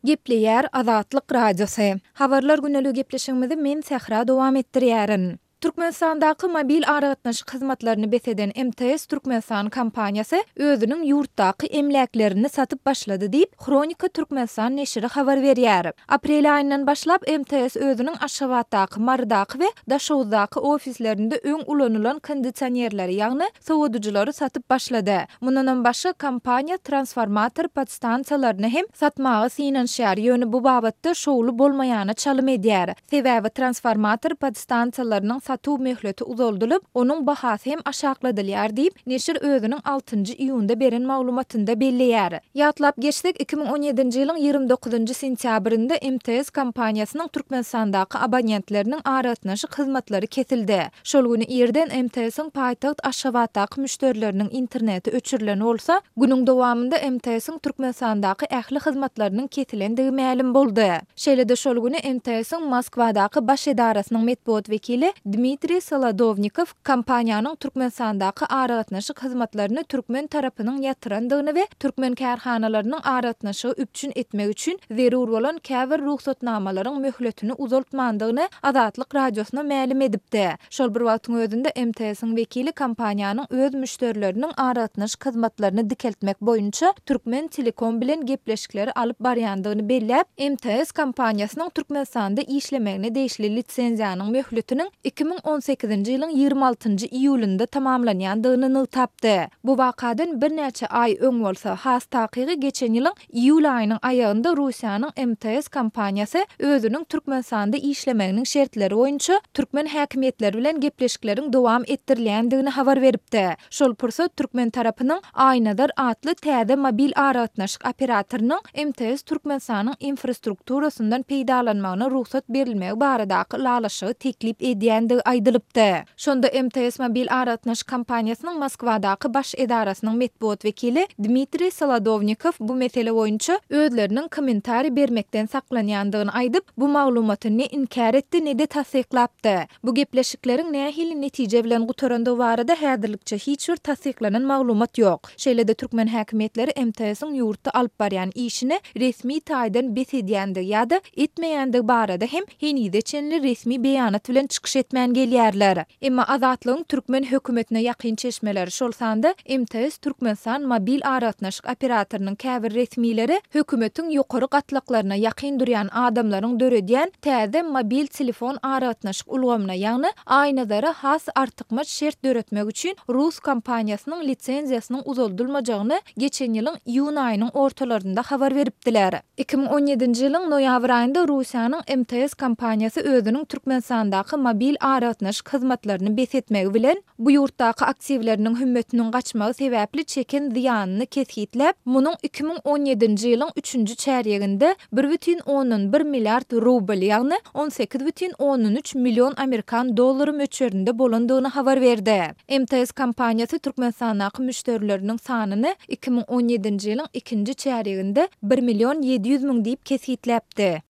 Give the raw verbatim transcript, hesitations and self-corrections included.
Gepleýär Azatlyk Radiosy. Habarlar güneligi gepleşigimizi men Sähra dowam etdirýärin. Türkmenistandaky mobil aragatnaşyk hyzmatlaryny bes eden M T S Türkmenistan kompaniýasy özüniň ýurtdaky emläklerini satyp başlady diýip, Hronika Türkmenistan neşiri habar berýär. Aprel aýyndan başlap M T S özüniň Aşgabatdaky, Marydaky we Daşoguzdaky ofislerinde öň ulanylan kondisionerleri, ýagny sowadyjylary satyp başlady. Mundanam başga kompaniýa transformator podstansiýalaryny hem satmaga synanyşýar, ýöne bu babatda şowly bolmaýana çalym edýär. Sebäbi transformator podstansiýalarynyň satuw möhleti uzaldylyp, onuň bahasy hem aşakladylýar diýip, neşir özüniň altynjy iýunda beren maglumatynda belleýär. Ýatlap geçsek, iki müň on ýedinji ýylyň ýigrimi dokuzynjy sentýabrynda M T S kompaniýasynyň Türkmenistandaky abonentleriniň aragatnaşyk hyzmatlary kesildi. Şol güni irden M T S-iň paýtagt Aşgabatdaky müşderileriniň interneti öçürilen bolsa, günüň dowamynda M T S-iň Türkmenistandaky ähli hyzmatlarynyň kesilendigi mälim boldy. Şeýle-de şol güni M T S-iň Moskwadaky baş edarasynyň metbugat wekili Dmitriý Solodownikow kompaniýanyň Türkmenistandaky aragatnaşyk hyzmatlaryny türkmen tarapynyň ýatyrandygyny we türkmen kärhanalarynyň aragatnaşygy üpjün etmek üçin zerur bolan käbir rugsatnamalaryň möhletini uzaltmandygyny Azatlyk Radiosyna mälim edipdi. Şol bir wagtyň özünde M T S-iň wekili kompaniýanyň öz müşderileriniň aragatnaşyk hyzmatlaryny dikeltmek boýunça Türkmen Telekom bilen gepleşikleri alyp barýandygyny belläp, M T S kompaniýasynyň Türkmenistanda işlemegine degişli lisenziýanyň möhletiniň iki müň on sekizinji ýylyň ýigrimi altynjy iýulynda tamamlanýandygyny nygtapdy. Bu wakadan birnäçe aý öň bolsa, has takygy geçen ýylyň iýul aýynyň aýagynda Russiýanyň M T S kompaniýasy özüniň Türkmenistanda işlemeginiň şertleri boýunça türkmen häkimiýetleri bilen gepleşikleriň dowam etdirilýändigini habar beripdi. Şol pursat türkmen tarapynyň Aýnazar atly täze mobil aragatnaşyk operatorynyň M T S Türkmenistanyň infrastrukturasyndan peýdalanmagyna rugsat berilmegi baradaky ylalaşygy teklip edýändigi aýdylypdy. Şonda M T S mobil aragatnaşyk kompaniýasynyň Moskwadaky baş edarasynyň metbugat wekili Dmitriý Solodownikow bu mesele boýunça özleriniň kommentariý bermekden saklanýandygyny aýdyp, bu maglumaty ne inkär etdi, ne-de tassyklapdy. Bu gepleşikleriň nähili netije bilen gutarandygy barada häzirlikçe hiç bir tassyklanan maglumat ýok. Şeýle-de türkmen häkimiýetleri M T S-iň ýurtda alyp barýan işini resmi taýdan bes edýändigi ýa-da etmeýändigi barada hem henize çenli resmi beýanat bilen çykyş etmän gelýärler. Emma Azatlygyň türkmen hökümetine ýakyn çeşmeleri, şol sanda M T S Türkmenistan mobil aragatnaşyk operatorynyň käbir resmileri hökümetiň ýokary gatlaklaryna ýakyn durýan adamlaryň döredýän täze mobil telefon aragatnaşyk ulgamyna, ýagny Aýnazara has artykmaç şert döretmek üçin rus kompaniýasynyň lisenziýasynyň uzaldylmajagyny geçen ýylyň iýun aýynyň ortalarynda habar beripdiler. iki müň on ýedinji ýylyň noýabr aýynda Russiýanyň M T S kompaniýasy özüniň Türkmenistandaky mobil aragatnaşyk hyzmatlaryny bes etmegi bilen bu ýurtdaky aktiwleriniň hümmetiniň gaçmagy sebäpli çeken zyýanyny kesgitläp, munuň iki müň on ýedinji ýylyň üçünji çärýeginde bir bütin ondan bir milliard rubl, ýagny on sekiz bütin ondan üç million amerikan dollary möçberinde bolandygyny habar berdi. M T S kompaniýasy Türkmenistandaky müşderileriniň sanyny iki müň on ýedinji ýylyň ikinji çärýeginde bir million ýedi ýüz müň diýip kesgitläpdi.